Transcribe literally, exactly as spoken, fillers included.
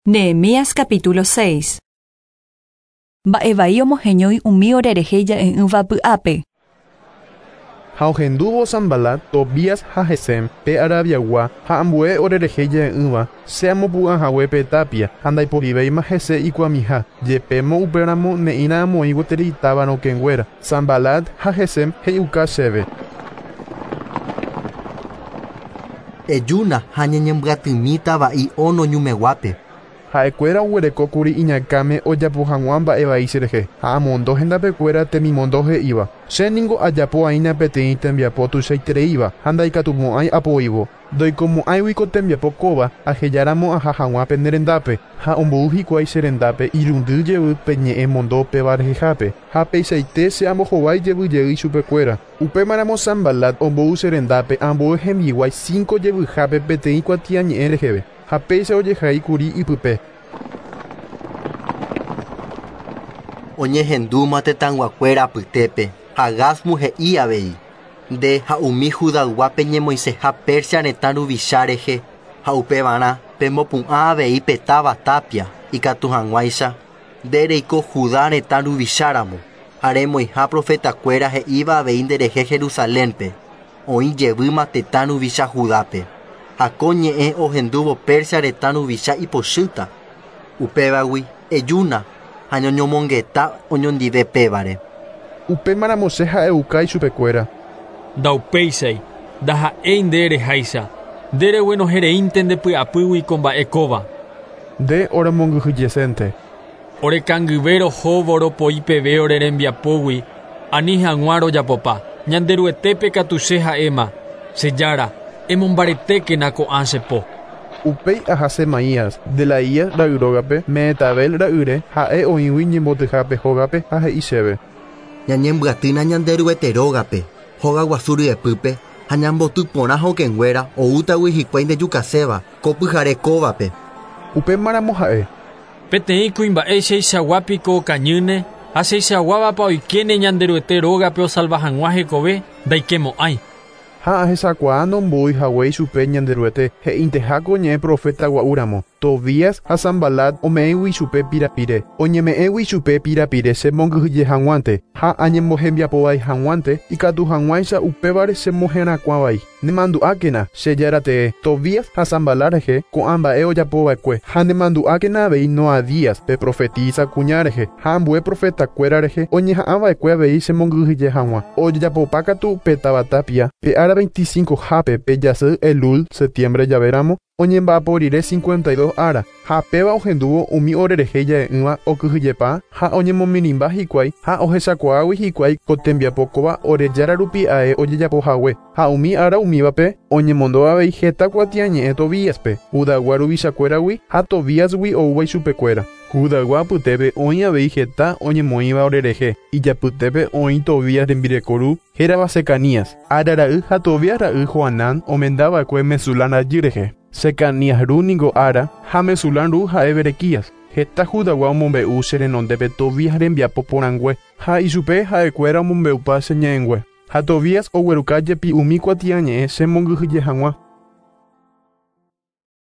Nehemías capítulo seis. Mba'evai omoheñói umi orerehe ja'e'ỹva py'ápe. Ha ohendúvo Sanbalat, Tobías ha Gesem, pe Arabiagua, ha ambue orerehe ja'e'ỹva, che amopu'ãhague pe tapia, ha ndaiporivéima hese ikuamiha, jepémo upéramo ne'írã amoĩ gueteri táva rokẽnguéra. Sanbalat ha Gesem he'iuka chéve. Ejúna ha ñañembyatymíta va'i Ono ñumeguápe. Ha'ekuéra oguerekókuri iñakãme ojapo hag̃ua mba'evai cherehe ha amondo hendapekuéra temimondo he'íva. Chéniko ajapo'aína peteĩ tembiapo tuichaitereíva ha ndaikatumo'ãi apoívo. Ndoikomo'ãigui ko tembiapo kóva ahejáramo aha hag̃ua pene rendápe ha ombou hikuái che rendápe irundy jey pe ñe'ẽ mondo péva rehehápe ha peichaite che ambohovái jey chupekuéra. Upémaramo Sanbalat ombou che rendápe ambue hembiguái cinco jevyhápe peteĩ kuatiañe'ẽ reheve ha péicha ojehaíkuri ipype. Oñehendúma tetãyguakuéra apytépe ha Gásmu he'i avei. Nde ha umi Judayguápe ñemoiseha Persia retã ruvicha rehe ha upevarã pemopu'ã avei pe táva tapia ikatu hag̃uáicha nde reiko Judá retã ruvicháramo ha remoĩha profetakuéra he'íva avei nderehe Jerusalénpe oĩ jevýma tetã ruvicha Judápe ha ko ñe'ẽ ohendúvo Persia retã ruvicha ipochýta upévagui ejúna ha ñoñomongeta oñondive pévare. Upémaramo che ha'euka ichupekuéra. Ndaupéichai, ndaha'éi nde reháicha, nde reguenohereínte ndepy'apýgui ko mba'e kóva. Nde oremongyhyjesénte. Orekangyve rohóvo ropoi peve ore rembiapógui ani hag̃ua rojapopa. Ñanderuetépe katu che ha'éma, che Jára, emombaretékena ko'ã che po. Upéi aha Semaías, Delaías ra'yrógape, Mehetabel ra'yre, ha'e oĩgui ñembotyhápe hógape ha he'i chéve. Ñañembyatýna Ñanderuete rógape, hóga guasu ryepýpe ha ñambotyporã hokẽnguéra oútagui hikuái ndejukaséva ko pyhare kóvape. Upémaramo ha'e. Peteĩ kuimba'e cheichaguápiko okañýne ha cheichaguávapa oikéne Ñanderuete rógape osalva hag̃ua hekove ndaikemo'ãi. Ha ahechakuaa nombo'y hague ichupe Ñanderuete he'inteháko ñe'ẽ profeta gua'úramo. Tobías ha Sanbalat ome'ẽgui ichupe pirapire. Oñeme'ẽgui ichupe pirapire chemongyhyje hag̃uánte ha añembohembiapovai hag̃uánte ikatu hag̃uáicha upévare chemoherakuãvai. Nemandu'ákena che Jára tee Tobías ha Sanbalat rehe ko'ã mba'e ojapova'ekue ha nemandu'ákena avei Noadías pe profetisa kuña rehe ha ambue profetakuéra rehe oñeha'ãva'ekue avei chemongyhyje hag̃ua. Ojejapopa katu pe táva tapia pe ára veinticinco hápe pe jasy Elul septiembre javéramo oñemba'apo rire cincuenta y dos ára ha péva ohendúvo umi orerehe ja'e'ỹva okyhyjepa ha oñemomirĩmba hikuái ha ohechakuaágui hikuái ko tembiapo kóva ore Jára rupi ae ojejapohague ha umi ára umívape oñemondo avei heta kuatiañe'ẽ Tobíaspe Judaygua ruvichakuéragui ha Tobíasgui oúva ichupekuéra. Judaygua apytépe oĩ avei heta oñemoĩva orerehe ijapytépe oĩ Tobías rembireko ru hérava Secanías Ara ra'y ha Tobías ra'y Joanán omendava'ekue Mesulán rajy rehe. Secanías ru niko Ara ha Mesulán ru ha'e Berequías. Heta Judaygua omombe'u che renondépe Tobías rembiapo porãngue ha ichupe ha'ekuéra omombe'upa che ñe'ẽngue. Ha Tobías ogueruka jepi umi kuatiañe'ẽ chemongyhyje hag̃ua.